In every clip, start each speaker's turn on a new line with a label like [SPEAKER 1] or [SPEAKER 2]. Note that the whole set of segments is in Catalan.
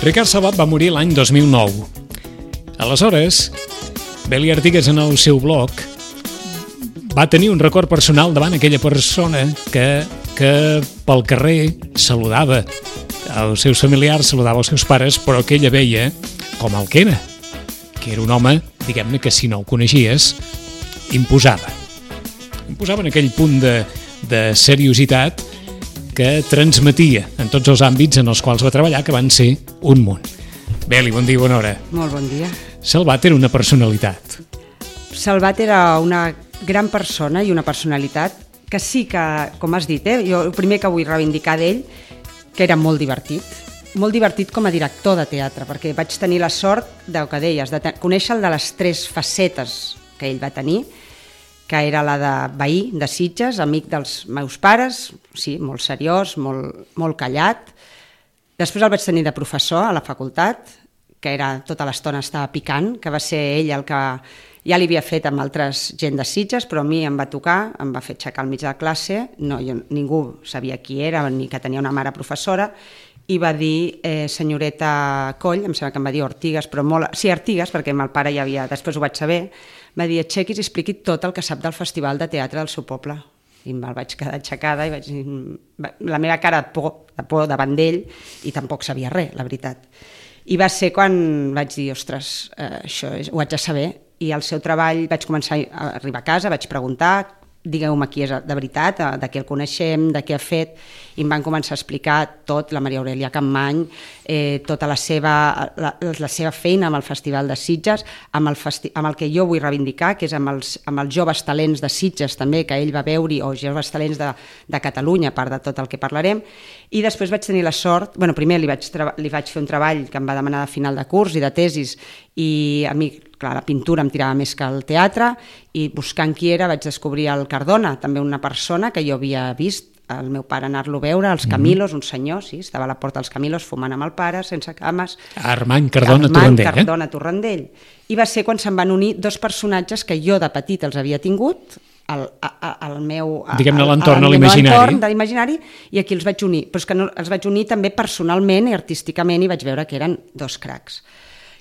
[SPEAKER 1] Ricard Salvat va morir l'any 2009. Aleshores, Beli Artigas en el seu blog va tenir un record personal davant aquella persona que pel carrer saludava els seus familiars, saludava els seus pares, però que ella veia com el que era un home, diguem-ne, que si no el coneixies, imposava en aquell punt de seriositat que transmetia en tots els àmbits en els quals va treballar, que van ser un munt. Beli, bon dia, bona hora.
[SPEAKER 2] Molt bon dia.
[SPEAKER 1] Salvat era una personalitat.
[SPEAKER 2] Salvat era una gran persona i una personalitat que sí que, com has dit, jo el primer que vull reivindicar d'ell, que era molt divertit com a director de teatre, perquè vaig tenir la sort del que deies, de conèixer el de les 3 facetes que ell va tenir, que era la de veí de Sitges, amic dels meus pares, sí, molt seriós, molt callat. Després el vaig tenir de professor a la facultat, que era tota l'estona estava picant, que va ser ell el que ja li havia fet amb altres gent de Sitges, però a mi em va tocar, em va fer aixecar al mig de la classe, ningú sabia qui era ni que tenia una mare professora, i va dir senyoreta Coll, em sembla que em va dir Ortigas, però sí, Artigas, perquè el pare ja havia, després ho vaig saber, va dir aixequis i expliqui tot el que sap del Festival de Teatre del seu poble. I me'l vaig quedar aixecada i vaig dir, la meva cara de por davant d'ell, i tampoc sabia res, la veritat. I va ser quan vaig dir, ostres, això ho haig de saber, i el seu treball vaig començar a arribar a casa, vaig preguntar, digueu-me qui és de veritat, de què el coneixem, de què ha fet, i em van començar a explicar tot, la Maria Aurelia Campmany, tota la seva feina amb el Festival de Sitges, amb el que jo vull reivindicar, que és amb els joves talents de Sitges també, que ell va veure, o joves talents de Catalunya, a part de tot el que parlarem, i després vaig tenir la sort, primer li vaig fer un treball que em va demanar de final de curs i de tesis, i a mi, clar, la pintura em tirava més que el teatre, i buscant qui era vaig descobrir el Cardona, també una persona que jo havia vist el meu pare anar-lo a veure, als Camilos, un senyor, sí, estava a la porta dels Camilos fumant amb el pare, sense cames.
[SPEAKER 1] Armand Cardona Torrandell.
[SPEAKER 2] Armand Cardona Torrandell. I va ser quan se'n van unir 2 personatges que jo de petit els havia tingut, al meu...
[SPEAKER 1] Diguem-ne l'entorn, a l'imaginari.
[SPEAKER 2] I aquí els vaig unir. Però és que els vaig unir també personalment i artísticament i vaig veure que eren 2 cracs.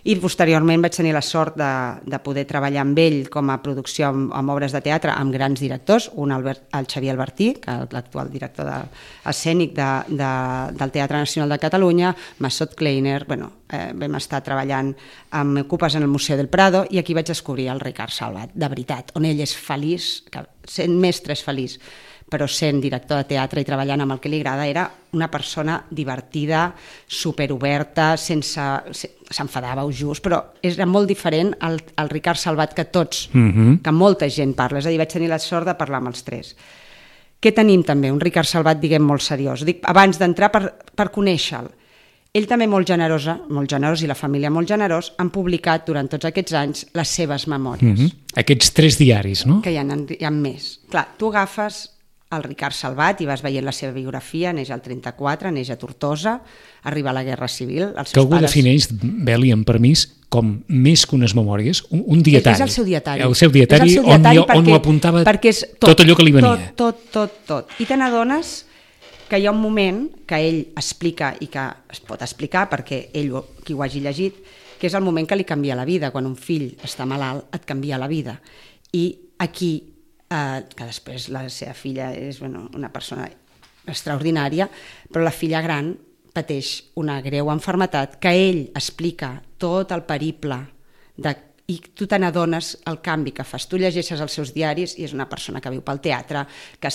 [SPEAKER 2] I posteriorment vaig tenir la sort de poder treballar amb ell com a producció amb obres de teatre amb grans directors, un el Xavier Albertí, que és l'actual director escènic del Teatre Nacional de Catalunya, Massot Kleiner, vam estar treballant amb Ocupes en el Museu del Prado, i aquí vaig descobrir el Ricard Salvat, de veritat, on ell és feliç, sent mestre és feliç, però sent director de teatre i treballant amb el que li agrada, era una persona divertida, superoberta, s'enfadava just, però era molt diferent al Ricard Salvat que tots, que molta gent parla. És a dir, vaig tenir la sort de parlar amb els 3. Què tenim també? Un Ricard Salvat, diguem, molt seriós. Dic, abans d'entrar, per conèixer-lo. Ell també molt generós, i la família molt generós, han publicat durant tots aquests anys les seves memòries.
[SPEAKER 1] Aquests 3 diaris, no?
[SPEAKER 2] Que hi ha més. Clar, tu agafes el Ricard Salvat i vas veient la seva biografia, neix al 34, neix a Tortosa, arriba a la Guerra Civil.
[SPEAKER 1] Que algú defineix, Beli, amb permís, com més que unes memòries, un dietari.
[SPEAKER 2] És el seu dietari.
[SPEAKER 1] El seu dietari on ho apuntava tot allò que li venia.
[SPEAKER 2] Tot. I te n'adones que hi ha un moment que ell explica, i que es pot explicar perquè ell, qui ho hagi llegit, que és el moment que li canvia la vida. Quan un fill està malalt, et canvia la vida. I aquí, que després la seva filla és una persona extraordinària, però la filla gran pateix una greu malaltia que ell explica tot el periple i tu te n'adones el canvi que fas. Tu llegeixes els seus diaris i és una persona que viu pel teatre, que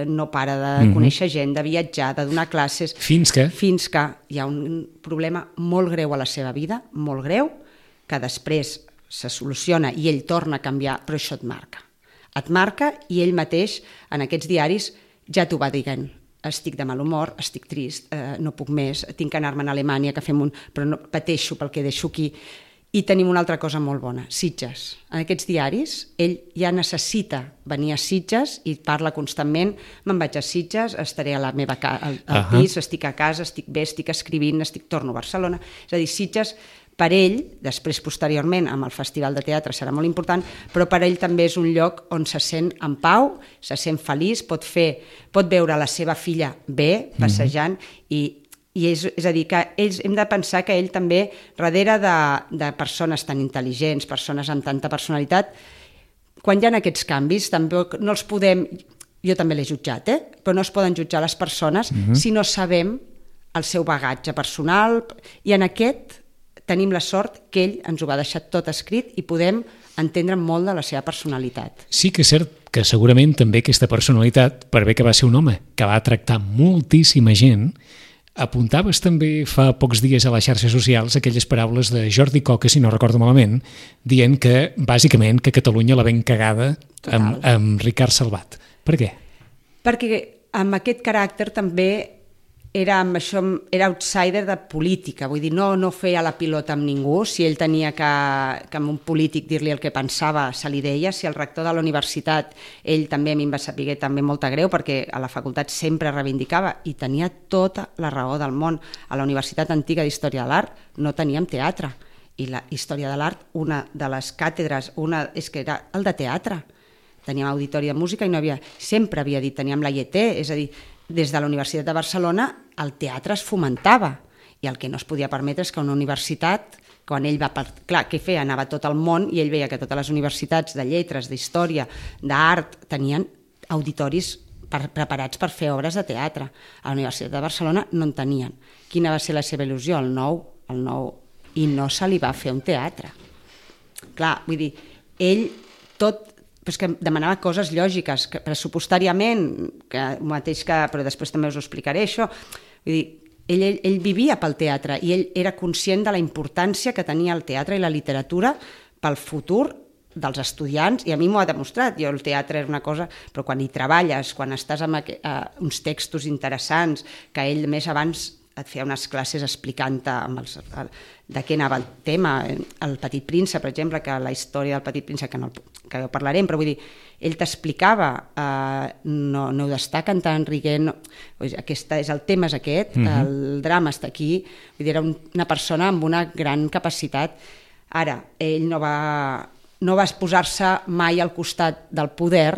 [SPEAKER 2] no para de conèixer gent, de viatjar, de donar classes, fins que hi ha un problema molt greu a la seva vida, molt greu, que després se soluciona i ell torna a canviar, però això et marca i ell mateix en aquests diaris ja t'ho va dient, estic de mal humor, estic trist, no puc més, tinc que anar-me'n a Alemanya, però no, pateixo pel que deixo aquí. I tenim una altra cosa molt bona, Sitges. En aquests diaris ell ja necessita venir a Sitges i parla constantment, me'n vaig a Sitges, estaré al pis, estic a casa, estic bé, estic escrivint, torno a Barcelona. És a dir, Sitges per ell, després posteriorment amb el Festival de Teatre serà molt important, però per ell també és un lloc on se sent en pau, se sent feliç, pot veure la seva filla bé, passejant, i I és a dir, que hem de pensar que ell també, darrere de persones tan intel·ligents, persones amb tanta personalitat, quan hi ha aquests canvis, tampoc no els podem... Jo també l'he jutjat, però no es poden jutjar les persones si no sabem el seu bagatge personal, i en aquest tenim la sort que ell ens ho va deixar tot escrit i podem entendre molt de la seva personalitat.
[SPEAKER 1] Sí que és cert que segurament també aquesta personalitat, per bé que va ser un home que va tractar moltíssima gent, apuntaves també fa pocs dies a les xarxes socials aquelles paraules de Jordi Coca, si no recordo malament, dient que, bàsicament, que Catalunya la ben cagada amb Ricard Salvat. Per què?
[SPEAKER 2] Perquè amb aquest caràcter també era outsider de política, vull dir, no feia la pilota amb ningú. Si ell tenia que amb un polític dir-li el que pensava, se li deia. Si el rector de la universitat, ell també a mi em va saber també molta greu, perquè a la facultat sempre reivindicava, i tenia tota la raó del món. A la Universitat Antiga d'Història de l'Art no teníem teatre, i la Història de l'Art, una de les càtedres, és que era el de teatre. Teníem auditori de música i no havia... Sempre havia dit, teníem la IET, és a dir, des de la Universitat de Barcelona el teatre es fomentava, i el que no es podia permetre és que una universitat, quan ell va... Clar, què feia? Anava a tot el món i ell veia que totes les universitats de lletres, d'història, d'art, tenien auditoris preparats per fer obres de teatre. A la Universitat de Barcelona no en tenien. Quina va ser la seva il·lusió? El nou, i no se li va fer un teatre. Clar, vull dir, ell tot... però és que demanava coses lògiques, que pressupostàriament, però després també us ho explicaré, això. Vull dir, ell vivia pel teatre i ell era conscient de la importància que tenia el teatre i la literatura pel futur dels estudiants, i a mi m'ho ha demostrat. Jo, el teatre era una cosa, però quan hi treballes, quan estàs amb uns textos interessants, que ell més abans et feia unes classes explicant-te de què anava el tema, el Petit Príncep, per exemple, que la història del Petit Príncep, que ja parlarem, però vull dir, ell t'explicava, no heu d'estar cantant riguent, el tema és aquest, el drama està aquí, vull dir, era una persona amb una gran capacitat. Ara, ell no va posar-se mai al costat del poder.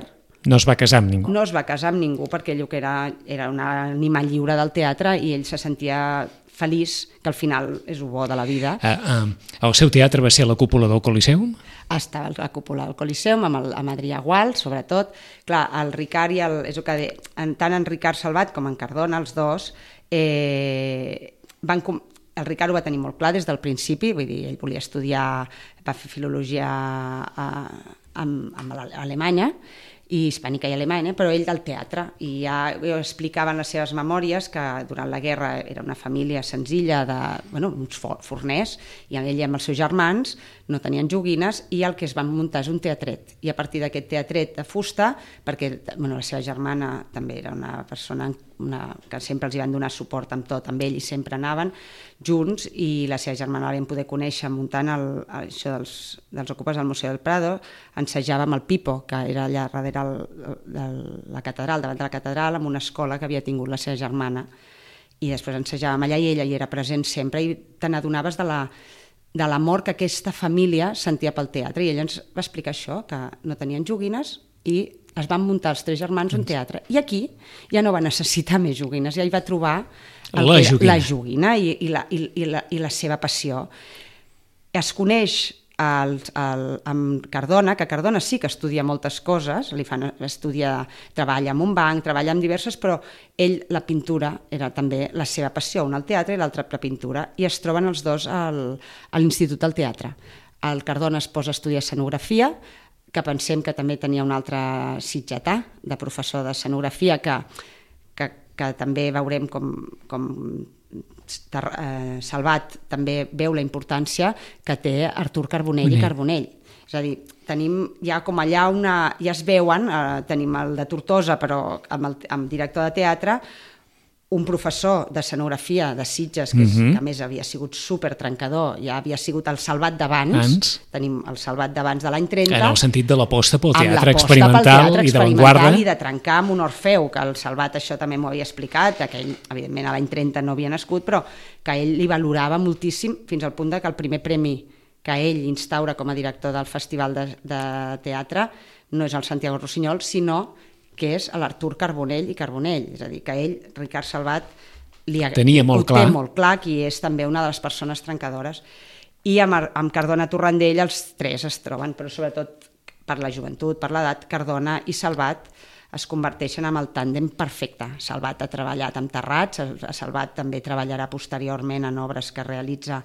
[SPEAKER 1] No es va casar amb ningú.
[SPEAKER 2] No es va casar amb ningú, perquè ell que era un animal lliure del teatre, i ell se sentia feliç, que al final és el bo de la vida.
[SPEAKER 1] El seu teatre va ser a la cúpula del Coliseum?
[SPEAKER 2] Estava a la cúpula del Coliseum, amb Adrià Gual, sobretot. Clar, el Ricard és el que tant en Ricard Salvat com en Cardona, els dos, el Ricard ho va tenir molt clar des del principi, vull dir, ell volia estudiar, va fer filologia a Alemanya, i hispànica i alemanya, però ell del teatre, i ja explicava en les seves memòries que durant la guerra era una família senzilla uns forners, i ell i amb els seus germans no tenien joguines, i el que es van muntar és un teatret, i a partir d'aquest teatret de fusta, perquè la seva germana també era una persona que sempre els hi van donar suport amb tot, amb ell, i sempre anaven junts, i la seva germana la vam poder conèixer muntant això dels Ocupes del Museu del Prado. Ensejava amb el Pipo, que era allà darrere de la catedral, davant de la catedral, amb una escola que havia tingut la seva germana, i després ensejàvem allà i ella hi era present sempre, i te n'adonaves de l'amor que aquesta família sentia pel teatre, i ella ens va explicar això, que no tenien joguines i es van muntar els 3 germans un teatre, i aquí ja no va necessitar més joguines, ja hi va trobar la joguina i la seva passió. Es coneix amb Cardona, que Cardona sí que estudia moltes coses, treballa en un banc, treballa en diverses, però ell, la pintura era també la seva passió, una al teatre i l'altra la pintura, i es troben els dos a l'Institut del Teatre. El Cardona es posa a estudiar escenografia, que pensem que també tenia un altre sitgetà de professor d'escenografia, que també veurem com Salvat també veu la importància que té Artur Carbonell i Carbonell. És a dir, tenim ja com allà ja es veuen, tenim el de Tortosa, però amb director de teatre, un professor d'escenografia de Sitges, que a més havia sigut supertrencador, ja havia sigut el Salvat d'abans, tenim el Salvat d'abans de l'any 30,
[SPEAKER 1] en el sentit de l'aposta pel teatre experimental i d'avantguarda,
[SPEAKER 2] i de trencar amb un Orfeu, que el Salvat això també m'ho havia explicat, que ell, evidentment, a l'any 30 no havia nascut, però que ell li valorava moltíssim, fins al punt que el primer premi que ell instaura com a director del Festival de Teatre no és el Santiago Rossinyol, sinó que és l'Artur Carbonell i Carbonell, és a dir, que ell, Ricard Salvat,
[SPEAKER 1] Tenia molt clar.
[SPEAKER 2] Té molt clar, qui és també una de les persones trencadores. I amb Cardona Torrandell els tres es troben, però sobretot per la joventut, per l'edat, Cardona i Salvat es converteixen en el tàndem perfecte. Salvat ha treballat amb Terrats, Salvat també treballarà posteriorment en obres que realitza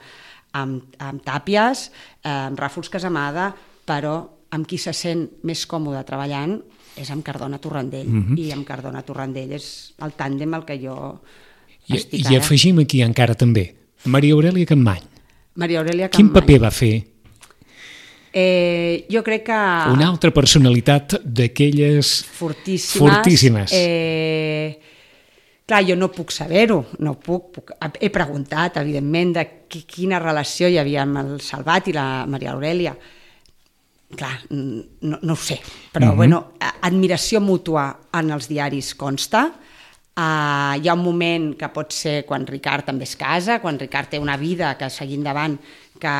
[SPEAKER 2] amb Tàpies, amb Ràfols Casamada, però amb qui se sent més còmode treballant és amb Cardona Torrandell. I amb Cardona Torrandell és el tàndem al que jo estic ara.
[SPEAKER 1] I afegim aquí encara també Maria Aurèlia Capmany.
[SPEAKER 2] Maria Aurèlia Capmany.
[SPEAKER 1] Quin paper va fer?
[SPEAKER 2] Jo crec que...
[SPEAKER 1] Una altra personalitat d'aquelles... Fortíssimes.
[SPEAKER 2] Clar, jo no puc saber-ho, no puc. He preguntat, evidentment, de quina relació hi havia amb el Salvat i la Maria Aurèlia. Clar, no ho sé, però bueno, admiració mútua en els diaris consta. Hi ha un moment que pot ser quan Ricard també es casa, quan Ricard té una vida que seguir endavant, que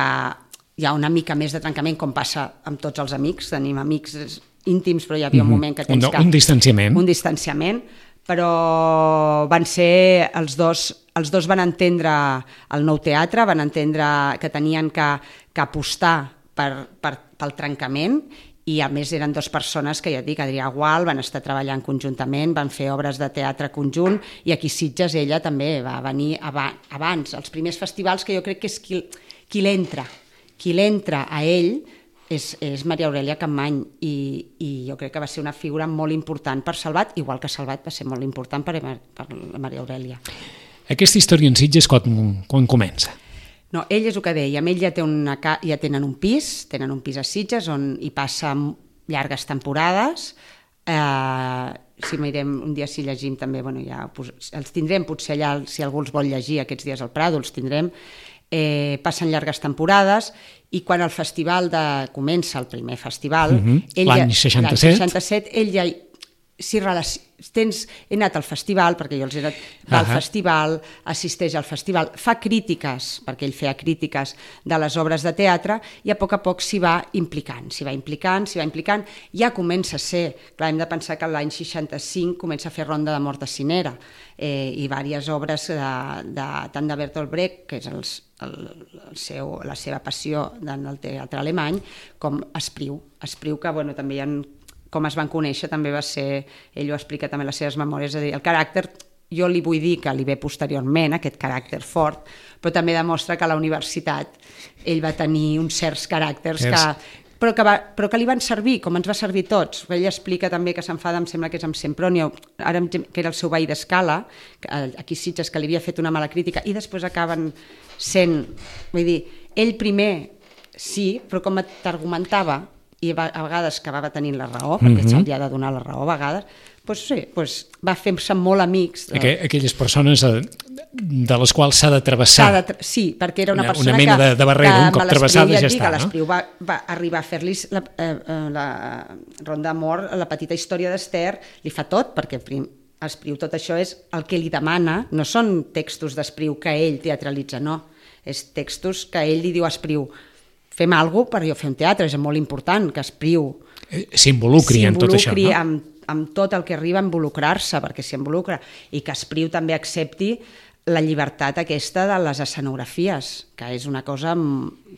[SPEAKER 2] hi ha una mica més de trencament, com passa amb tots els amics. Tenim amics íntims, però hi havia un moment que tens que...
[SPEAKER 1] Un distanciament.
[SPEAKER 2] Un distanciament, però van ser els dos van entendre el nou teatre, van entendre que tenien que apostar pel trencament, i a més eren dues persones que ja et dic, Adrià Gual, van estar treballant conjuntament, van fer obres de teatre conjunt, i aquí Sitges ella també va venir abans, els primers festivals, que jo crec que és qui l'entra a ell és Maria Aurèlia Capmany, i jo crec que va ser una figura molt important per Salvat, igual que Salvat va ser molt important per la Maria Aurèlia.
[SPEAKER 1] Aquesta història en Sitges quan comença?
[SPEAKER 2] No, ell és el que deia, ell ja tenen un pis a Sitges on hi passa llargues temporades. Si mirem un dia, si llegim també, bueno, ja els tindrem potser allà, si algú els vol llegir aquests dies al Prado, els tindrem. Passen llargues temporades, i quan el festival comença, el primer festival,
[SPEAKER 1] l'any 67,
[SPEAKER 2] ell ja... He anat al festival, perquè jo els he anat al festival, assisteix al festival, fa crítiques, perquè ell feia crítiques de les obres de teatre, i a poc s'hi va implicant, ja comença a ser, clar, hem de pensar que l'any 65 comença a fer Ronda de Mort de Cinera, i diverses obres tant de Bertolt Brecht, que és la seva passió en el teatre alemany, com Espriu, que bueno, també hi ha... Com es van conèixer també va ser, ell ho explica també en les seves memòries, és a dir, el caràcter, jo li vull dir que li ve posteriorment, aquest caràcter fort, però també demostra que a la universitat ell va tenir uns certs caràcters però que li van servir, com ens va servir tots. Ell explica també que s'enfada, em sembla que és amb Sempronio, que era el seu veí d'Escala, aquí Sitges, que li havia fet una mala crítica, i després acaben sent, vull dir, ell primer sí, però com t'argumentava, i a vegades acabava tenint la raó, perquè se li ha de donar la raó a vegades, doncs va fer-se molt amics.
[SPEAKER 1] Aquelles persones de les quals s'ha de travessar.
[SPEAKER 2] Sí, perquè era una persona
[SPEAKER 1] una mena de barrera, un cop travessada ja està.
[SPEAKER 2] L'Espriu va arribar a fer-li la Ronda d'Amor, la petita història d'Ester, li fa tot, perquè Espriu tot això és el que li demana, no són textos d'Espriu que ell teatralitza, no, és textos que ell li diu a Espriu, fem alguna cosa per jo fer un teatre, és molt important que Espriu
[SPEAKER 1] s'involucri en tot això, no?
[SPEAKER 2] amb tot el que arriba a involucrar-se, perquè s'hi involucra, i que Espriu també accepti la llibertat aquesta de les escenografies, que és una cosa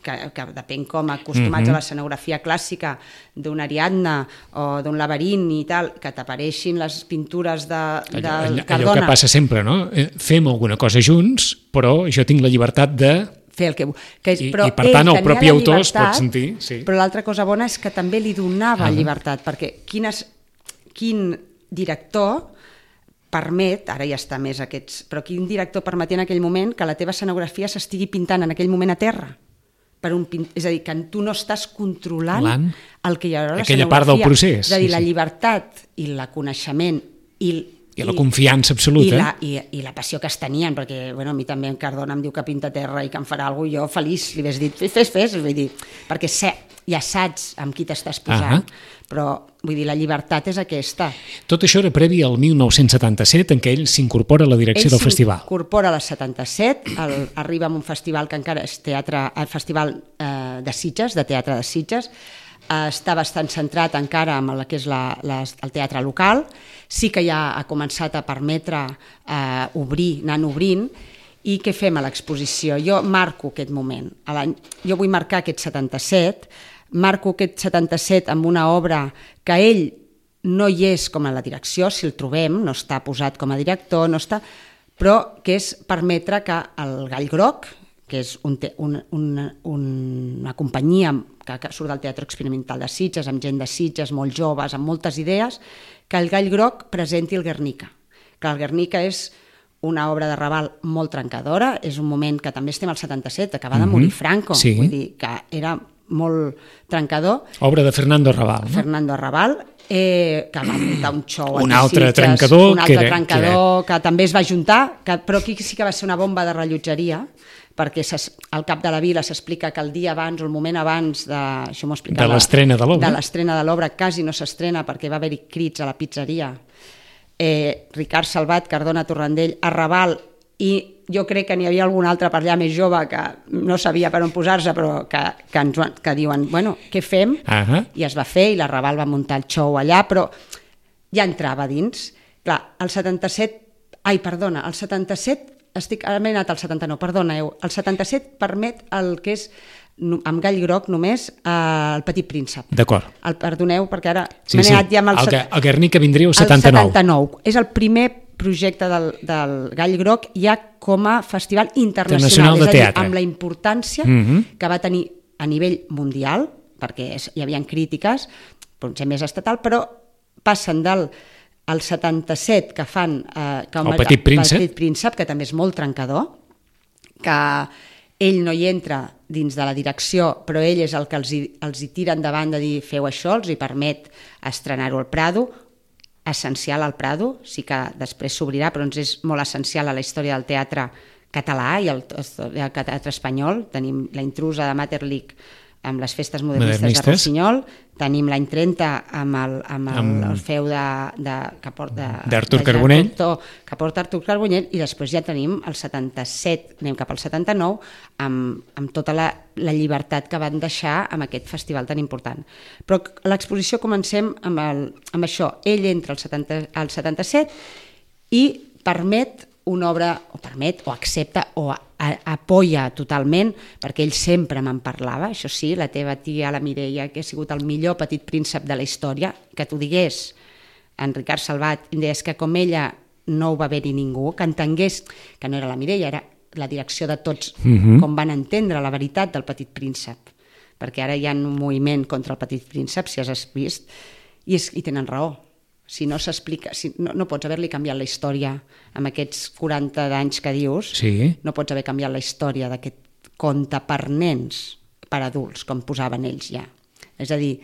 [SPEAKER 2] que depèn com acostumats a l'escenografia clàssica d'una Ariadna o d'un Laberint i tal, que t'apareixin les pintures de Cardona.
[SPEAKER 1] Allò que passa sempre, no? Fem alguna cosa junts, però jo tinc la llibertat de...
[SPEAKER 2] fer el que...
[SPEAKER 1] I per tant el propi autor es pot sentir...
[SPEAKER 2] Però l'altra cosa bona és que també li donava llibertat, perquè quin director permet, ara ja està més aquests, però quin director permetia en aquell moment que la teva escenografia s'estigui pintant en aquell moment a terra? És a dir, que tu no estàs controlant el que hi haurà a l'escenografia.
[SPEAKER 1] Aquella part del procés.
[SPEAKER 2] És a dir, la llibertat i el coneixement i
[SPEAKER 1] la confiança absoluta.
[SPEAKER 2] I la passió que es tenien, perquè a mi també en Cardona em diu que pinta terra i que em farà alguna cosa, jo feliç li hagués dit, fes, vull dir, perquè ja saps amb qui t'estàs posant, però vull dir, la llibertat és aquesta.
[SPEAKER 1] Tot això era previ al 1977, en què ell s'incorpora a la direcció del festival.
[SPEAKER 2] Ell s'incorpora a la 77, arriba a un festival que encara és teatre, el Festival de Sitges, de Teatre de Sitges, està bastant centrat encara en el que és el teatre local, sí que ja ha començat a permetre anar obrint. I què fem a l'exposició? Jo marco aquest moment. Jo vull marcar aquest 77, marco aquest 77 amb una obra que ell no hi és com a la direcció, si el trobem, no està posat com a director, no està, però que és permetre que el Gall Groc, que és una companyia que surt del Teatre Experimental de Sitges, amb gent de Sitges, molt joves, amb moltes idees, que el Gall Groc presenti el Guernica. Que el Guernica és una obra de Raval molt trencadora, és un moment que també estem al 77, acaba de morir Franco, vull dir que era molt trencador.
[SPEAKER 1] Obra de Fernando Arrabal.
[SPEAKER 2] Fernando Arrabal, que va muntar un show
[SPEAKER 1] un altre trencador
[SPEAKER 2] que també es va juntar, però aquí sí que va ser una bomba de rellotgeria, perquè al cap de la vila s'explica que el dia abans o el moment abans
[SPEAKER 1] de l'estrena
[SPEAKER 2] de l'obra quasi no s'estrena perquè va haver-hi crits a la pizzeria. Ricard Salvat, Cardona Torrandell, Arrabal, i jo crec que n'hi havia algun altre per allà més jove que no sabia per on posar-se, però que diuen, bueno, què fem? I es va fer, i l'Arrabal va muntar el show allà, però ja entrava dins. Clar, el 77, ara m'he anat al 79, perdoneu, el 77 permet el que és, amb Gall Groc només, el Petit Príncep.
[SPEAKER 1] D'acord.
[SPEAKER 2] Perdoneu, perquè ara m'he anat ja amb
[SPEAKER 1] el Guernica vindria el 79.
[SPEAKER 2] El 79. És el primer projecte del Gall Groc ja com a festival internacional,
[SPEAKER 1] de teatre.
[SPEAKER 2] Amb la importància que va tenir a nivell mundial, perquè hi havia crítiques, potser més estatal, però passen del 77 que fan
[SPEAKER 1] el Petit
[SPEAKER 2] Príncep, que també és molt trencador, que ell no hi entra dins de la direcció, però ell és el que els hi tira endavant de dir feu això, els hi permet estrenar-ho al Prado, essencial al Prado, sí que després s'obrirà, però ens és molt essencial a la història del teatre català i el teatre espanyol. Tenim La intrusa de Maeterlinck amb les festes modernistes de Rossinyol, tenim l'any 30 amb el feu
[SPEAKER 1] d'Artur Carbonell,
[SPEAKER 2] que porta Artur Carbonell, i després ja tenim el 77, anem cap al 79, amb tota la llibertat que van deixar amb aquest festival tan important. Però a l'exposició comencem amb això. Ell entra al 77 i permet una obra, o accepta, o apoya totalment, perquè ell sempre me'n parlava, això sí, la teva tia, la Mireia, que ha sigut el millor Petit Príncep de la història, que t'ho digués en Ricard Salvat, em deies que com ella no ho va haver-hi ningú, que entengués que no era la Mireia, era la direcció de tots, com van entendre la veritat del Petit Príncep, perquè ara hi ha un moviment contra el Petit Príncep, si has vist, i tenen raó. Si no s'explica, no pots haver-li canviat la història amb aquests 40 d'anys que dius, no pots haver canviat la història d'aquest conte per nens, per adults, com posaven ells ja. És a dir,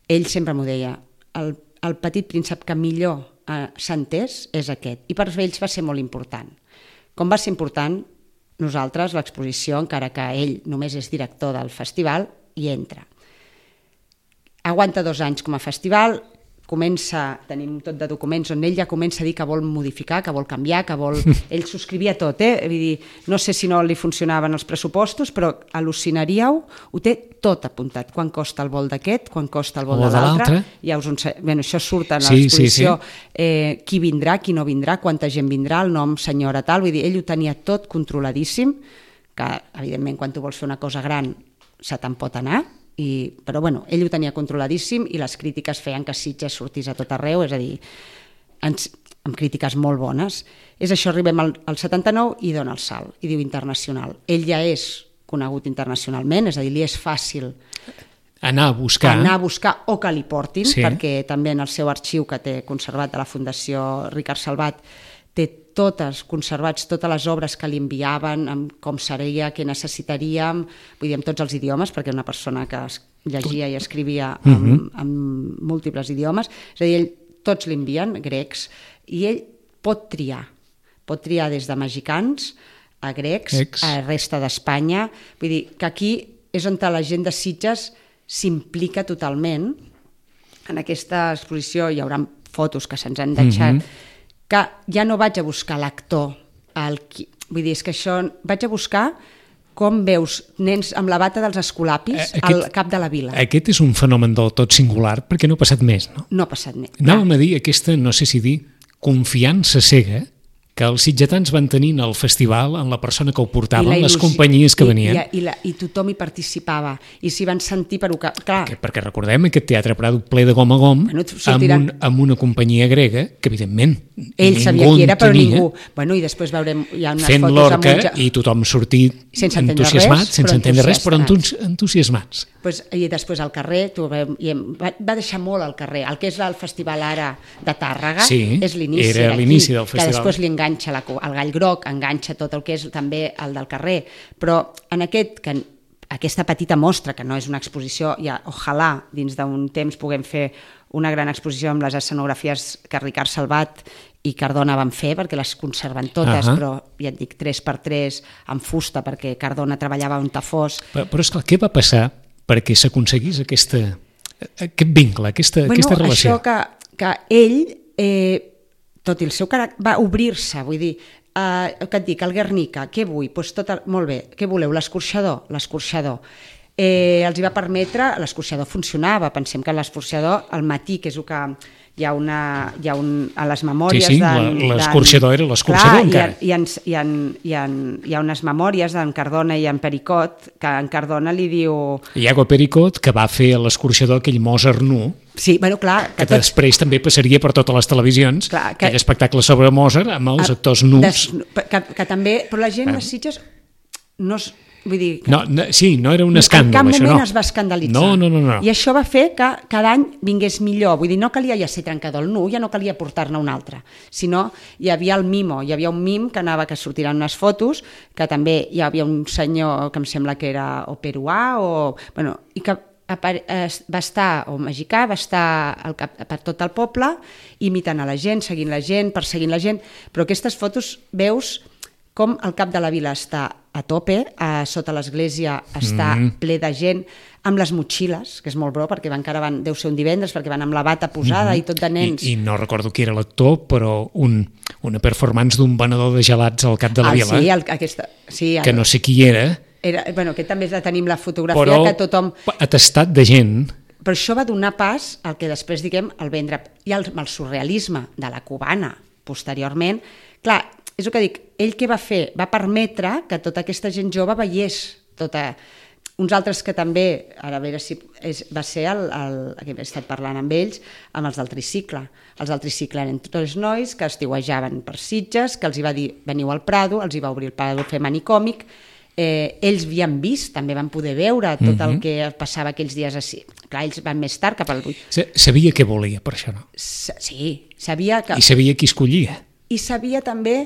[SPEAKER 2] ell sempre m'ho deia, el Petit Príncep que millor s'ha entès és aquest, i per ells va ser molt important. Com va ser important, nosaltres, l'exposició, encara que ell només és director del festival, hi entra. Aguanta 2 anys com a festival, tenim tot de documents on ell ja comença a dir que vol modificar, que vol canviar, que vol... Ell subscrivia tot, Vull dir, no sé si no li funcionaven els pressupostos, però al·lucinaríeu, ho té tot apuntat. Quan costa el vol d'aquest, quan costa el vol de l'altre. Això surt en l'exposició. Qui vindrà, qui no vindrà, quanta gent vindrà, el nom senyora tal. Vull dir, ell ho tenia tot controladíssim, que evidentment quan tu vols fer una cosa gran se te'n pot anar, però ell ho tenia controladíssim i les crítiques feien que Sitges sortís a tot arreu, és a dir, amb crítiques molt bones. És això, arribem al 79 i dona el salt, i diu internacional. Ell ja és conegut internacionalment, és a dir, li és fàcil
[SPEAKER 1] anar a buscar
[SPEAKER 2] o que li portin, perquè també en el seu arxiu que té conservat de la Fundació Ricard Salvat té conservats totes les obres que li enviaven, amb com seria, què necessitaríem, vull dir, amb tots els idiomes, perquè una persona que llegia i escrivia en múltiples idiomes, és a dir, tots li envien, grecs, i ell pot triar des de mexicans a grecs, a la resta d'Espanya, vull dir, que aquí és on la gent de Sitges s'implica totalment. En aquesta exposició hi haurà fotos que se'ns han deixat, que ja no vaig a buscar l'actor, vull dir, és que això vaig a buscar com veus nens amb la bata dels escolapis al cap de la vila.
[SPEAKER 1] Aquest és un fenomen del tot singular perquè no ha passat més, no?
[SPEAKER 2] No ha passat més.
[SPEAKER 1] Anàvem a dir aquesta, no sé si dir, confiança cega que els sitgetans van tenir al festival en la persona que ho portava, les companyies que venien.
[SPEAKER 2] I tothom hi participava, i s'hi van sentir per... Clar.
[SPEAKER 1] Perquè recordem aquest Teatre Prado ple de gom a gom, amb una companyia grega, que evidentment
[SPEAKER 2] ell sabia qui era, però ningú. Bueno, i després veurem, hi ha unes
[SPEAKER 1] fent
[SPEAKER 2] fotos
[SPEAKER 1] l'orca i tothom sortit entusiasmat, sense entendre res, però entusiasmats.
[SPEAKER 2] I després al carrer, va deixar molt al carrer. El que és el festival ara de Tàrrega és l'inici
[SPEAKER 1] era l'inici del festival.
[SPEAKER 2] Que després li enganxa el gall groc, enganxa tot el que és també el del carrer, però en aquesta petita mostra, que no és una exposició, ojalà dins d'un temps puguem fer una gran exposició amb les escenografies que Ricard Salvat i Cardona van fer, perquè les conserven totes, però ja et dic 3x3 en fusta, perquè Cardona treballava un tafós.
[SPEAKER 1] Però esclar, què va passar perquè s'aconseguís aquest vincle, aquesta relació?
[SPEAKER 2] Això que ell... tot i el seu caràcter, va obrir-se, vull dir, que et dic, el Guernica, què vull? Molt bé, què voleu? L'escorxador? L'escorxador. Els hi va permetre, l'escorxador funcionava, pensem que l'escorxador al matí, que és el que hi ha a les memòries...
[SPEAKER 1] Sí, l'escorxador era l'escorxador encara.
[SPEAKER 2] Hi ha unes memòries d'en Cardona i en Pericot, que en Cardona li diu...
[SPEAKER 1] Iago Pericot, que va fer a l'escorxador aquell Mozart nu,
[SPEAKER 2] sí, bueno, clar,
[SPEAKER 1] que després també passaria per totes les televisions, aquell espectacle sobre Mozart amb els actors nus.
[SPEAKER 2] Que també, però la gent de Sitges no es... Vull dir,
[SPEAKER 1] no era un escàndol,
[SPEAKER 2] això no. En cap moment
[SPEAKER 1] no
[SPEAKER 2] es va escandalitzar.
[SPEAKER 1] No.
[SPEAKER 2] I això va fer que cada any vingués millor. Vull dir, no calia ja ser trencador el nu, ja no calia portar-ne un altre, sinó hi havia el mimo, hi havia un mim que sortiran unes fotos, que també hi havia un senyor que em sembla que era o peruà, i que va estar, o mexicà, va estar per tot el poble, imitant a la gent, seguint la gent, perseguint la gent, però aquestes fotos veus com el cap de la vila està a tope, sota l'església està ple de gent, amb les motxilles, que és molt bro, perquè deu ser un divendres, perquè van amb la bata posada i tot de nens.
[SPEAKER 1] I no recordo qui era l'actor, però una performance d'un venedor de gelats al cap de la vila, que no sé qui era.
[SPEAKER 2] Aquest també tenim la fotografia, que tothom...
[SPEAKER 1] Però atestat de gent.
[SPEAKER 2] Però això va donar pas al que després, diguem, el vendre... I el surrealisme de la cubana, posteriorment, clar, és el que dic, ell què va fer? Va permetre que tota aquesta gent jove veiés uns altres que també, ara a veure si va ser que he estat parlant amb ells, amb els del tricicle. Els del tricicle eren tots nois que estiuejaven per Sitges, que els hi va dir veniu al Prado, els hi va obrir el Prado fer manicòmic, ells havien vist, també van poder veure tot el que passava aquells dies així. Clar, ells van més tard, cap al 8.
[SPEAKER 1] Sabia què volia, per això, no?
[SPEAKER 2] Sí, sabia que...
[SPEAKER 1] I sabia qui escollia.
[SPEAKER 2] I sabia també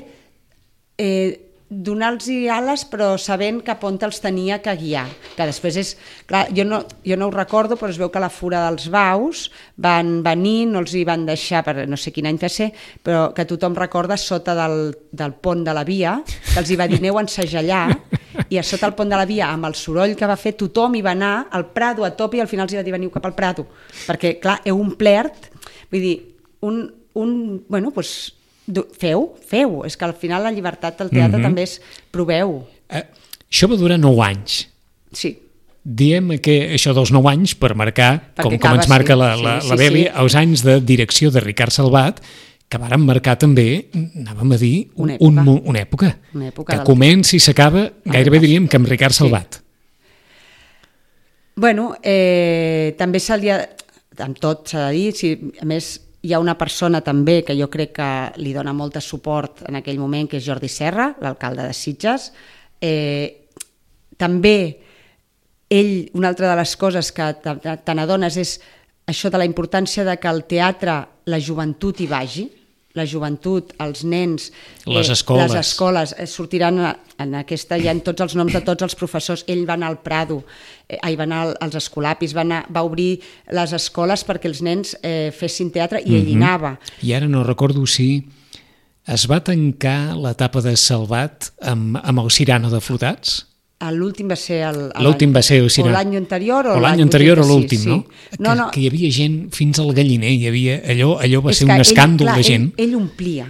[SPEAKER 2] donar-los ales, però sabent cap on els tenia que guiar, que després és... Clar, jo no ho recordo, però es veu que a la Fura dels Baus van venir, no els hi van deixar, per no sé quin any va ser, però que tothom recorda sota del pont de la via, que els hi va dir aneu a ensejallar, i a sota el pont de la via, amb el soroll que va fer, tothom hi va anar al Prado a tope i al final els hi va dir veniu cap al Prado, perquè clar, heu omplert, vull dir, bueno, doncs feu, és que al final la llibertat del teatre també és proveu.
[SPEAKER 1] Això va durar 9 anys.
[SPEAKER 2] Sí.
[SPEAKER 1] Diem que això dels 9 anys, per marcar, com ens marca la Beli, els anys de direcció de Ricard Salvat, que varen marcar també, anàvem a dir, una època que comença i s'acaba, gairebé diríem que amb Ricard Salvat.
[SPEAKER 2] Bueno, també amb tot s'ha de dir, a més hi ha una persona també que jo crec que li dona molt de suport en aquell moment, que és Jordi Serra, l'alcalde de Sitges. També ell, una altra de les coses que te n'adones és això de la importància de que al teatre la joventut hi vagi, la joventut, els nens,
[SPEAKER 1] les escoles
[SPEAKER 2] sortiran en aquesta, hi ha tots els noms de tots els professors. Ell va anar al Prado, va anar als Escolapis, va obrir les escoles perquè els nens fessin teatre i ell hi anava.
[SPEAKER 1] I ara no recordo si es va tancar l'etapa de Salvat amb el Cirano de Flotats?
[SPEAKER 2] L'últim va ser
[SPEAKER 1] el Cirano.
[SPEAKER 2] O l'any anterior
[SPEAKER 1] o l'any anterior o l'últim, no? Que hi havia gent fins al galliner, allò va ser un escàndol de gent.
[SPEAKER 2] Ell omplia.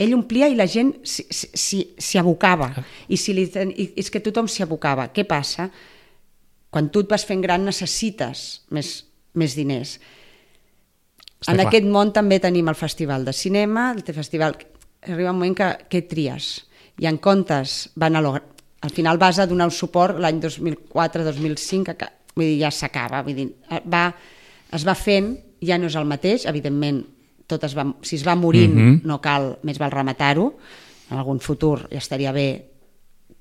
[SPEAKER 2] ell omplia i la gent s'hi abocava. I és que tothom s'hi abocava. Què passa? Quan tu et vas fent gran necessites més diners. En aquest món també tenim el festival de cinema, el festival... Arriba un moment que tries. I en comptes van al final vas a donar un suport l'any 2004-2005, vull dir, ja s'acaba. Vull dir, es va fent, ja no és el mateix, evidentment, si es va morint no cal, més val rematar-ho, en algun futur ja estaria bé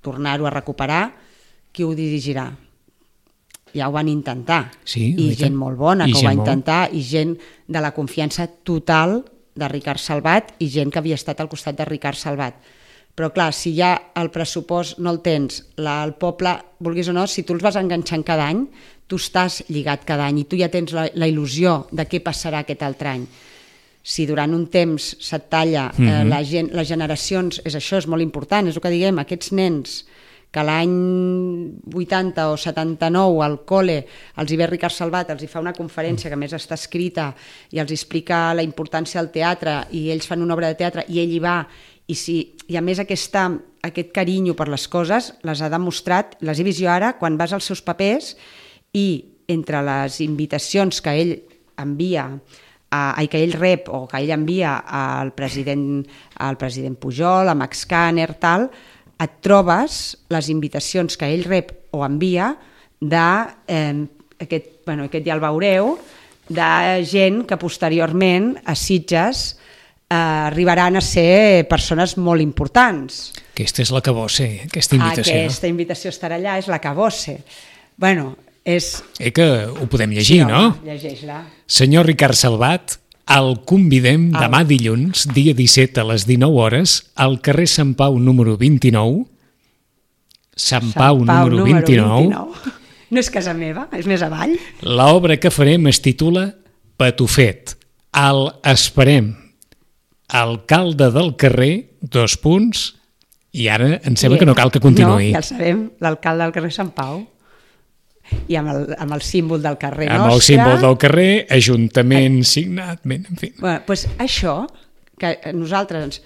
[SPEAKER 2] tornar-ho a recuperar. Qui ho dirigirà? Ja ho van intentar, i gent molt bona que ho va intentar, i gent de la confiança total de Ricard Salvat i gent que havia estat al costat de Ricard Salvat. Però clar, si ja el pressupost no el tens, el poble, vulguis o no, si tu els vas enganxant cada any, tu estàs lligat cada any i tu ja tens la il·lusió de què passarà aquest altre any. Si durant un temps se't talla les generacions, és això, és molt important, és el que diguem, aquests nens que l'any 80 o 79 al col·le els hi ve Ricard Salvat, els hi fa una conferència que a més està escrita i els explica la importància del teatre i ells fan una obra de teatre i ell hi va i a més aquest carinyo per les coses les ha demostrat, les he vist jo ara quan vas als seus papers i entre les invitacions que ell envia que ell rep o que ell envia al president Pujol, a Max Kanner, tal, et trobes les invitacions que ell rep o envia aquest ja el veureu, de gent que posteriorment a Sitges arribaran a ser persones molt importants.
[SPEAKER 1] Aquesta és la que vol ser, aquesta invitació.
[SPEAKER 2] Aquesta invitació estarà allà, és la que vol ser. Bueno, és...
[SPEAKER 1] que ho podem llegir, no?
[SPEAKER 2] Llegeix-la.
[SPEAKER 1] Senyor Ricard Salvat, el convidem demà dilluns, dia 17 a les 19 hores, al carrer Sant Pau número 29. Sant Pau número 29.
[SPEAKER 2] No és casa meva, és més avall.
[SPEAKER 1] L'obra que farem es titula Patufet. El esperem. Alcalde del carrer, i ara em sembla que no cal que continuï.
[SPEAKER 2] No, ja el sabem, l'alcalde del carrer Sant Pau. I amb el símbol del carrer nostre.
[SPEAKER 1] Amb el símbol del carrer, ajuntament signat, en fi.
[SPEAKER 2] Doncs això, que nosaltres,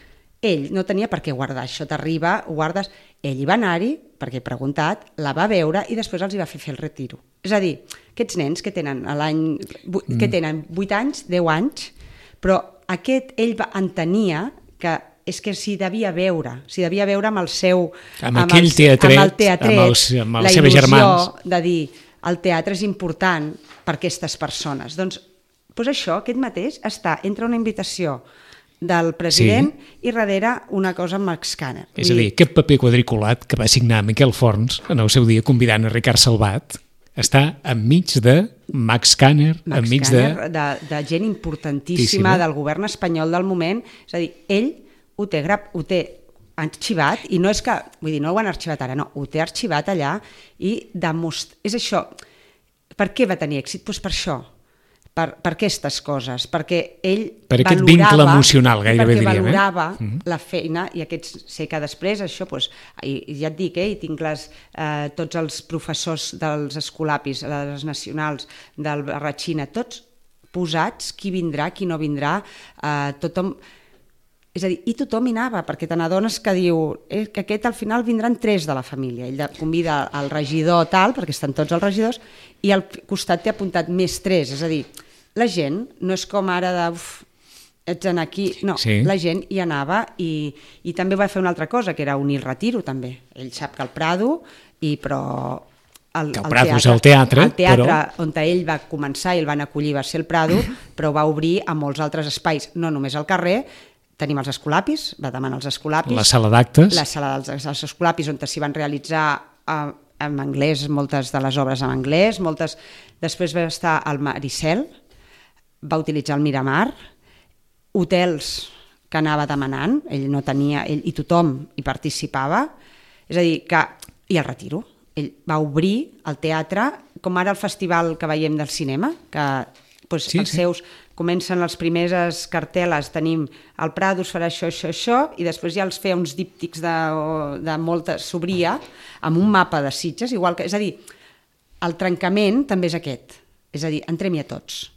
[SPEAKER 2] ell no tenia per què guardar, això t'arriba, ho guardes, ell hi va anar-hi, perquè he preguntat, la va veure i després els hi va fer el retiro. És a dir, aquests nens que tenen que tenen 8 anys, 10 anys, però ell entenia que és que s'hi devia veure amb el seu...
[SPEAKER 1] Amb aquell teatret, amb els seus germans.
[SPEAKER 2] La il·lusió de dir, el teatre és important per a aquestes persones. Doncs això, aquest mateix, està entre una invitació del president i darrere una cosa amb Max Kanner.
[SPEAKER 1] És a dir, aquest paper quadriculat que va signar Miquel Forns en el seu dia convidant a Ricard Salvat està enmig de Max Kanner, enmig
[SPEAKER 2] de gent importantíssima del govern espanyol del moment. És a dir, ell ho té arxivat i no és que, vull dir, no ho han arxivat ara, no, ho té arxivat allà i és això. Per què va tenir èxit? Doncs per això, per aquestes coses, perquè ell
[SPEAKER 1] per aquest vincle emocional, gairebé diríem.
[SPEAKER 2] Perquè valorava la feina i sé que després això, ja et dic, i tinc tots els professors dels escolapis, les nacionals, del Barratxina, tots posats, qui vindrà, qui no vindrà, tothom... És a dir, i tothom hi anava, perquè te n'adones que diu que aquest al final vindran 3 de la família. Ell convida el regidor tal, perquè estan tots els regidors, i al costat t'he apuntat més 3. És a dir, la gent no és com ara de... ets en aquí... No, la gent hi anava i també va fer una altra cosa, que era unir el retiro, també. Ell sap que el Prado, però...
[SPEAKER 1] El Prado és el teatre,
[SPEAKER 2] on ell va començar i el van acollir va ser el Prado, però va obrir a molts altres espais, no només al carrer. Tenim els escolapis, va demanar els escolapis.
[SPEAKER 1] La sala d'actes.
[SPEAKER 2] La sala dels escolapis, on s'hi van realitzar en anglès, moltes de les obres en anglès, després va estar al Maricel, va utilitzar el Miramar, hotels que anava demanant, ell no tenia, i tothom hi participava, és a dir, i el retiro. Ell va obrir el teatre, com ara el festival que veiem del cinema, que els seus... Comencen les primeres cartel·les, tenim el Prado es farà això, i després ja els feia uns díptics de molta... s'obria amb un mapa de Sitges, igual que... És a dir, el trencament també és aquest, és a dir, entrem-hi a tots.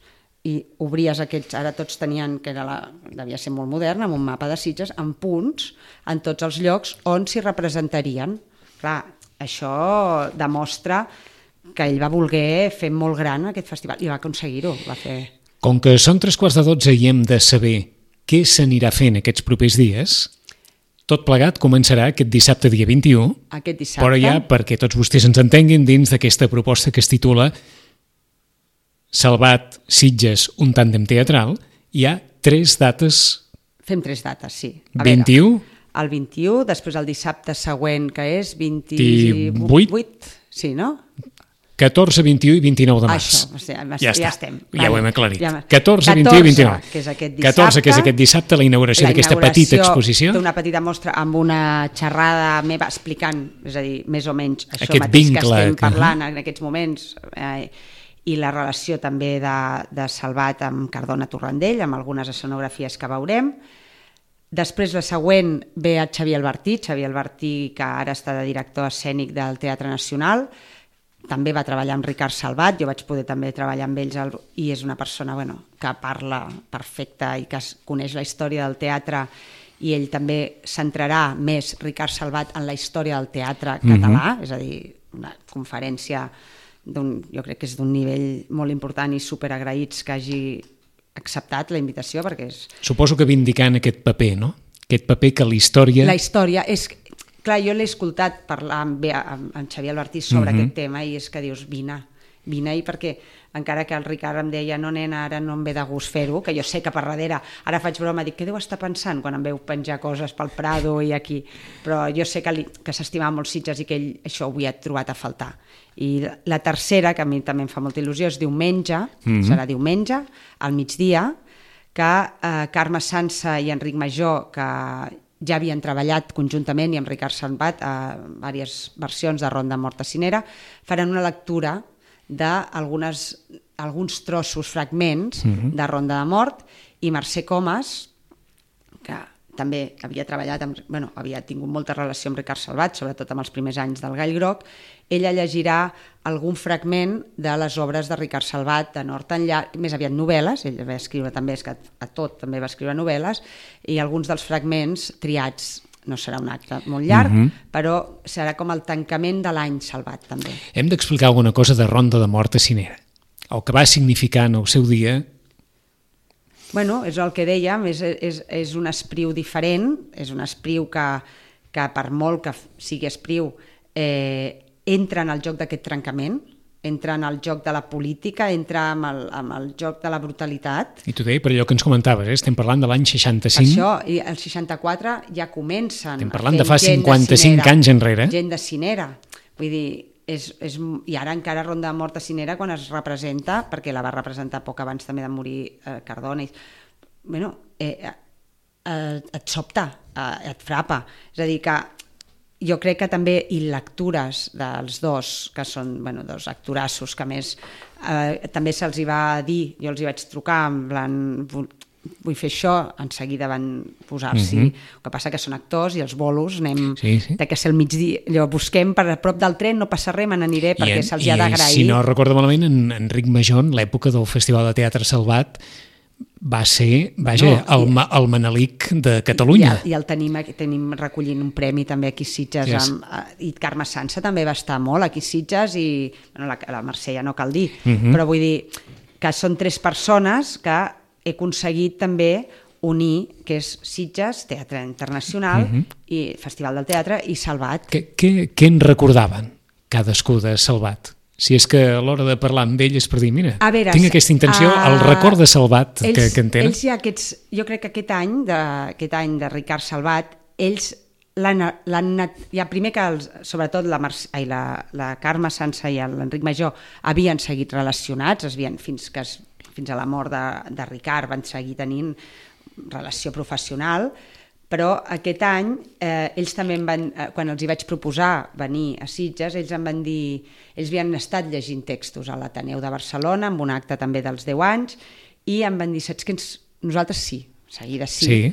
[SPEAKER 2] i obries aquells, ara tots tenien, que devia ser molt modern, amb un mapa de Sitges, amb punts en tots els llocs on s'hi representarien. Clar, això demostra que ell va voler fer molt gran aquest festival i va aconseguir-ho, va fer...
[SPEAKER 1] Com que són 11:45 i hem de saber què s'anirà fent aquests propers dies, tot plegat començarà aquest dissabte dia 21,
[SPEAKER 2] aquest dissabte,
[SPEAKER 1] però ja perquè tots vostès ens entenguin dins d'aquesta proposta que es titula Salvat Sitges, un tàndem teatral, hi ha 3 dates.
[SPEAKER 2] Fem 3 dates, sí.
[SPEAKER 1] 21?
[SPEAKER 2] El 21, després el dissabte següent, que és 28, sí, no?
[SPEAKER 1] 14, 21 i 29 de març.
[SPEAKER 2] Això,
[SPEAKER 1] ja
[SPEAKER 2] estem.
[SPEAKER 1] Ja ho hem aclarit. 14, 21 i 29.
[SPEAKER 2] Que és aquest dissabte.
[SPEAKER 1] 14, que és aquest dissabte, la inauguració d'aquesta petita exposició.
[SPEAKER 2] D'una petita mostra amb una xerrada meva explicant, és a dir, més o menys això
[SPEAKER 1] aquest
[SPEAKER 2] mateix
[SPEAKER 1] vincle,
[SPEAKER 2] que estem parlant en aquests moments, i la relació també de Salvat amb Cardona Torrandell, amb algunes escenografies que veurem. Després, la següent, ve a Xavier Albertí, que ara està de director escènic del Teatre Nacional. També va treballar amb Ricard Salvat, jo vaig poder també treballar amb ells, i és una persona que parla perfecta i que coneix la història del teatre, i ell també centrarà més, Ricard Salvat, en la història del teatre català, és a dir, una conferència jo crec que és d'un nivell molt important i superagraïts que hagi acceptat la invitació, perquè és...
[SPEAKER 1] Suposo que vindicant aquest paper, no? Aquest paper que la història
[SPEAKER 2] és... Clar, jo l'he escoltat parlar amb Xavier Albertí sobre aquest tema i és que dius, vine, i perquè encara que el Ricard em deia no nena, ara no em ve de gust fer-ho, que jo sé que per darrere, ara faig broma, dic, què deu estar pensant quan em veu penjar coses pel Prado i aquí, però jo sé que s'estimava molt Sitges i que ell això ho havia trobat a faltar. I la tercera, que a mi també em fa molta il·lusió, és diumenge, serà diumenge, al migdia, que Carme Sansa i Enric Major, que ja havien treballat conjuntament i amb Ricard Salvat a diverses versions de Ronda Mort a Cinera, faran una lectura d'alguns trossos, fragments de Ronda de Mort, i Mercè Comas, que també havia treballat, havia tingut molta relació amb Ricard Salvat, sobretot amb els primers anys del Gall Groc, ella llegirà algun fragment de les obres de Ricard Salvat, de nord enllà, més aviat novel·les, ell va escriure també, és que a tot també va escriure novel·les, i alguns dels fragments triats, no serà un acte molt llarg, però serà com el tancament de l'any Salvat, també.
[SPEAKER 1] Hem d'explicar alguna cosa de Ronda de Mort a Cinera, el que va significar en el seu dia.
[SPEAKER 2] Bueno, és el que dèiem, és un espriu diferent, és un espriu que per molt que sigui espriu, entra en el joc d'aquest trencament, entra en el joc de la política, entra en el joc de la brutalitat.
[SPEAKER 1] I t'ho deia per allò que ens comentaves, estem parlant de l'any 65.
[SPEAKER 2] Això, i el 64 ja comencen.
[SPEAKER 1] Estem parlant de fa 55 anys enrere.
[SPEAKER 2] Gent de Cinera. Vull dir, i ara encara Ronda de Mort a Cinera quan es representa, perquè la va representar poc abans també de morir Cardona, et sobta, et frapa. És a dir, que jo crec que també, i lectures dels dos, que són dos actorassos, que més també se'ls hi va dir, jo els hi vaig trucar, en plan, vull fer això, en seguida van posar-s'hi. El que passa que són actors i els bolos anem de que ser al migdia, allò busquem per a prop del tren, no passa res, me n'aniré perquè se'ls hi ha d'agrair.
[SPEAKER 1] Si no recordo malament, en Enric Major, en l'època del Festival de Teatre Salvat, va ser, el Manelic de Catalunya.
[SPEAKER 2] I el tenim recollint un premi també aquí a Sitges, i Carme Sansa també va estar molt aquí a Sitges, i la Mercè ja no cal dir, però vull dir que són 3 persones que he aconseguit també unir, que és Sitges, Teatre Internacional, i Festival del Teatre, i Salvat.
[SPEAKER 1] Què en recordaven cadascú de Salvat? Si és que a l'hora de parlar amb ell és per dir, mira, tinc aquesta intenció, el record de Salvat que en tenen.
[SPEAKER 2] Ells jo crec que aquest any de Ricard Salvat, ells primer que sobretot la Carme Sansa i l'Enric Major havien seguit relacionats, fins a la mort de Ricard van seguir tenint relació professional, però aquest any ells també quan els hi vaig proposar venir a Sitges, ells em van dir, ells havien estat llegint textos a l'Ateneu de Barcelona, amb un acte també dels 10 anys, i em van dir, saps que nosaltres sí, seguida sí.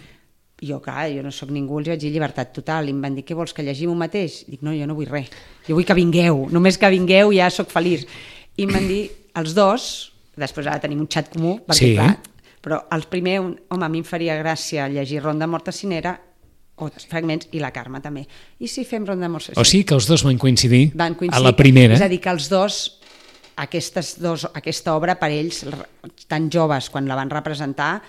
[SPEAKER 2] Jo, clar, jo no sóc ningú, els vaig dir llibertat total, i em van dir, què vols, que llegim un mateix? Dic, no, jo no vull res, jo vull que vingueu, només que vingueu ja sóc feliç. I em van dir, els dos, després ara tenim un xat comú, perquè
[SPEAKER 1] Sí.
[SPEAKER 2] clar, però el primer, home, a mi em faria gràcia llegir Ronda Morta Cinera o fragments, i la Carme també. I si fem Ronda Morta Cinera?
[SPEAKER 1] O sigui que els dos van coincidir,
[SPEAKER 2] Van coincidir,
[SPEAKER 1] a la primera.
[SPEAKER 2] És a dir, que els dos, aquesta obra per ells, tan joves, quan la van representar,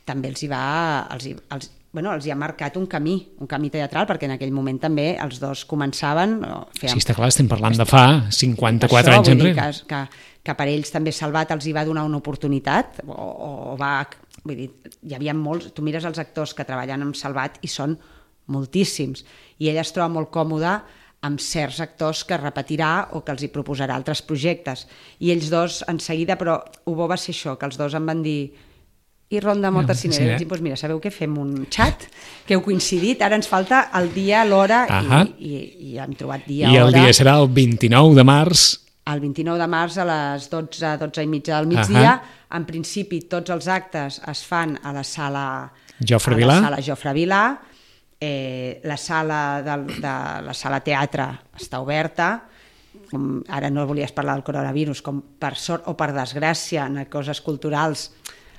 [SPEAKER 2] també els hi ha marcat un camí teatral, perquè en aquell moment també els dos començaven...
[SPEAKER 1] Sí, està clar, estem parlant de fa 54 anys enrere.
[SPEAKER 2] Que per ells també Salvat els hi va donar una oportunitat, vull dir, hi havia molts, tu mires els actors que treballen amb Salvat i són moltíssims, i ella es troba molt còmoda amb certs actors que repetirà o que els hi proposarà altres projectes, i ells dos en seguida, però ho bo va ser això, que els dos em van dir i Ronda Morta Cinera, doncs mira, sabeu què? Fem un xat, que heu coincidit, ara ens falta el dia, l'hora, i hem trobat dia,
[SPEAKER 1] hora. I el
[SPEAKER 2] dia
[SPEAKER 1] serà el 29 de març.
[SPEAKER 2] El 29 de març a les 12 i mitja del migdia. En principi, tots els actes es fan a la sala
[SPEAKER 1] Jofre Vilà.
[SPEAKER 2] La sala teatre està oberta. Ara no volies parlar del coronavirus, com per sort o per desgràcia en coses culturals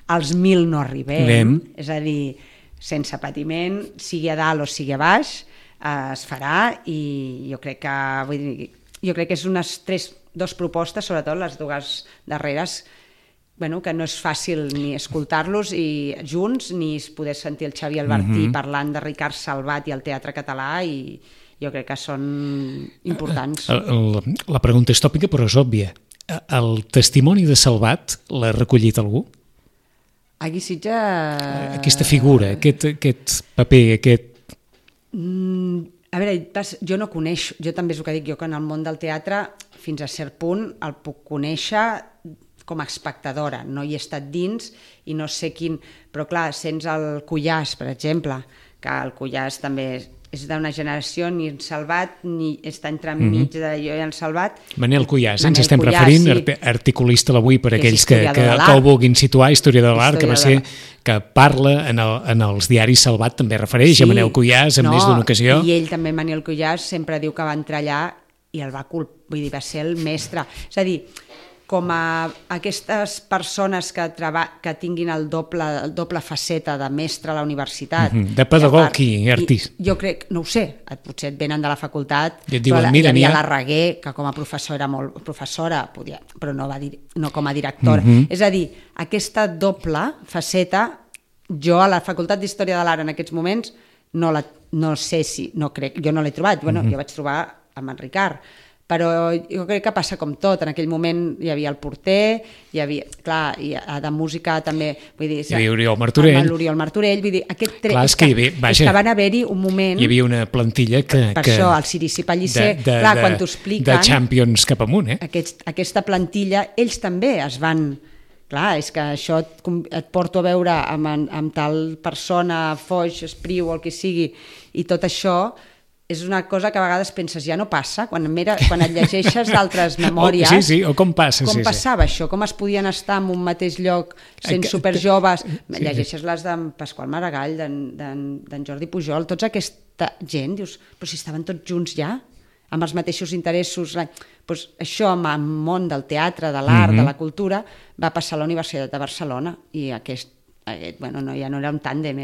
[SPEAKER 2] als 1.000 no arribem. És a dir, sense patiment, sigui a dalt o sigui a baix, es farà, i jo crec que és dues propostes, sobretot les dues darreres, que no és fàcil ni escoltar-los i junts, ni poder sentir el Xavi Albertí parlant de Ricard Salvat i el teatre català, i jo crec que són importants.
[SPEAKER 1] La pregunta és tòpica, però és òbvia. El testimoni de Salvat l'ha recollit algú?
[SPEAKER 2] Aquí Sitges...
[SPEAKER 1] Aquesta figura, aquest paper,
[SPEAKER 2] A veure, jo no coneixo, jo també és el que dic, jo que en el món del teatre fins a cert punt el puc conèixer com a espectadora, no hi he estat dins i no sé quin... Però clar, sents el Cuyàs, per exemple, que el Cuyàs també és d'una generació, ni en Salvat, ni està entremig de jo i en Salvat.
[SPEAKER 1] Manel Cuyàs, ens estem referint, articulista l'avui per aquells que ho vulguin situar, historiador de l'art, que va ser, que parla en els diaris Salvat, també refereix a Manel Cuyàs en més d'una ocasió.
[SPEAKER 2] I ell també, Manel Cuyàs, sempre diu que va entrar allà i el va va ser el mestre. És a dir, com a aquestes persones que tinguin el doble faceta de mestre a la universitat.
[SPEAKER 1] De pedagog i artista.
[SPEAKER 2] Jo crec, no ho sé, potser et venen de la facultat,
[SPEAKER 1] però
[SPEAKER 2] hi havia la Reguer, que com a professora era molt professora, però no com a directora. És a dir, aquesta doble faceta, jo a la Facultat d'Història de l'Art en aquests moments no sé si, no crec, jo no l'he trobat, jo vaig trobar amb en Ricard, però jo crec que passa com tot. En aquell moment hi havia el porter, hi havia, clar, i de música també, vull dir...
[SPEAKER 1] Hi havia Oriol Martorell.
[SPEAKER 2] L'Oriol Martorell, vull dir,
[SPEAKER 1] és
[SPEAKER 2] que van haver-hi un moment...
[SPEAKER 1] Hi havia una plantilla que...
[SPEAKER 2] Per això, el Cirici Pellicer, clar, quan t'ho expliquen...
[SPEAKER 1] De Champions cap amunt,
[SPEAKER 2] Aquesta plantilla, ells també es van... Clar, és que això et porto a veure amb tal persona, Foix, Espriu o el que sigui, i tot això... és una cosa que a vegades penses, ja no passa, quan et llegeixes d'altres memòries...
[SPEAKER 1] Sí, o com passa.
[SPEAKER 2] Com passava això, com es podien estar en un mateix lloc sent superjoves, llegeixes les d'en Pasqual Maragall, d'en Jordi Pujol, tota aquesta gent, dius, però si estaven tots junts ja, amb els mateixos interessos... Doncs això, amb el món del teatre, de l'art, de la cultura, va passar a la Universitat de Barcelona, i ja no era un tàndem,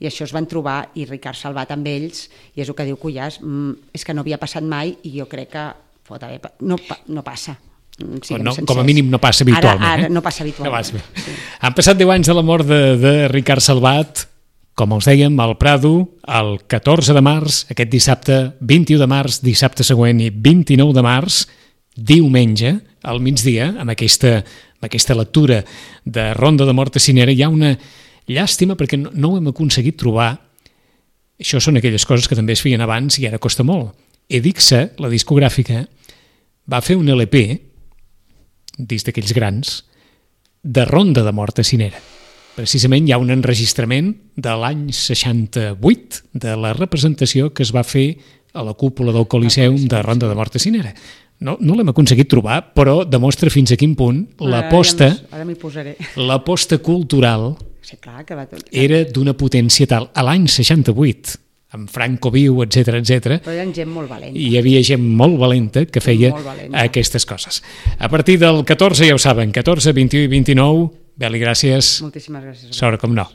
[SPEAKER 2] i això es van trobar, i Ricard Salvat amb ells, i és el que diu Cuyàs, és que no havia passat mai, i jo crec que no passa.
[SPEAKER 1] Com a mínim no passa habitualment.
[SPEAKER 2] Ara no passa habitualment.
[SPEAKER 1] Han passat 10 anys de la mort de Ricard Salvat, com els dèiem, al Prado, el 14 de març, aquest dissabte 21 de març, dissabte següent i 29 de març, diumenge, al migdia, amb aquesta lectura de Ronda de Morta Cinera, hi ha una llàstima perquè no ho hem aconseguit trobar. Això són aquelles coses que també es feien abans i ara costa molt. Edixa, la discogràfica, va fer un LP, dins d'aquells grans, de Ronda de Morta Cinera. Precisament hi ha un enregistrament de l'any 68 de la representació que es va fer a la cúpula del Coliseum de Ronda de Morta Cinera. No l'hem aconseguit trobar, però demostra fins a quin punt l'aposta cultural era d'una potència tal. A l'any 68 amb Franco Viu, etc.
[SPEAKER 2] Però hi ha gent molt valenta.
[SPEAKER 1] I hi havia gent molt valenta que feia aquestes coses. A partir del 14, ja ho saben, 14, 21 i 29, Beli, gràcies.
[SPEAKER 2] Moltíssimes gràcies.
[SPEAKER 1] Sort, com no.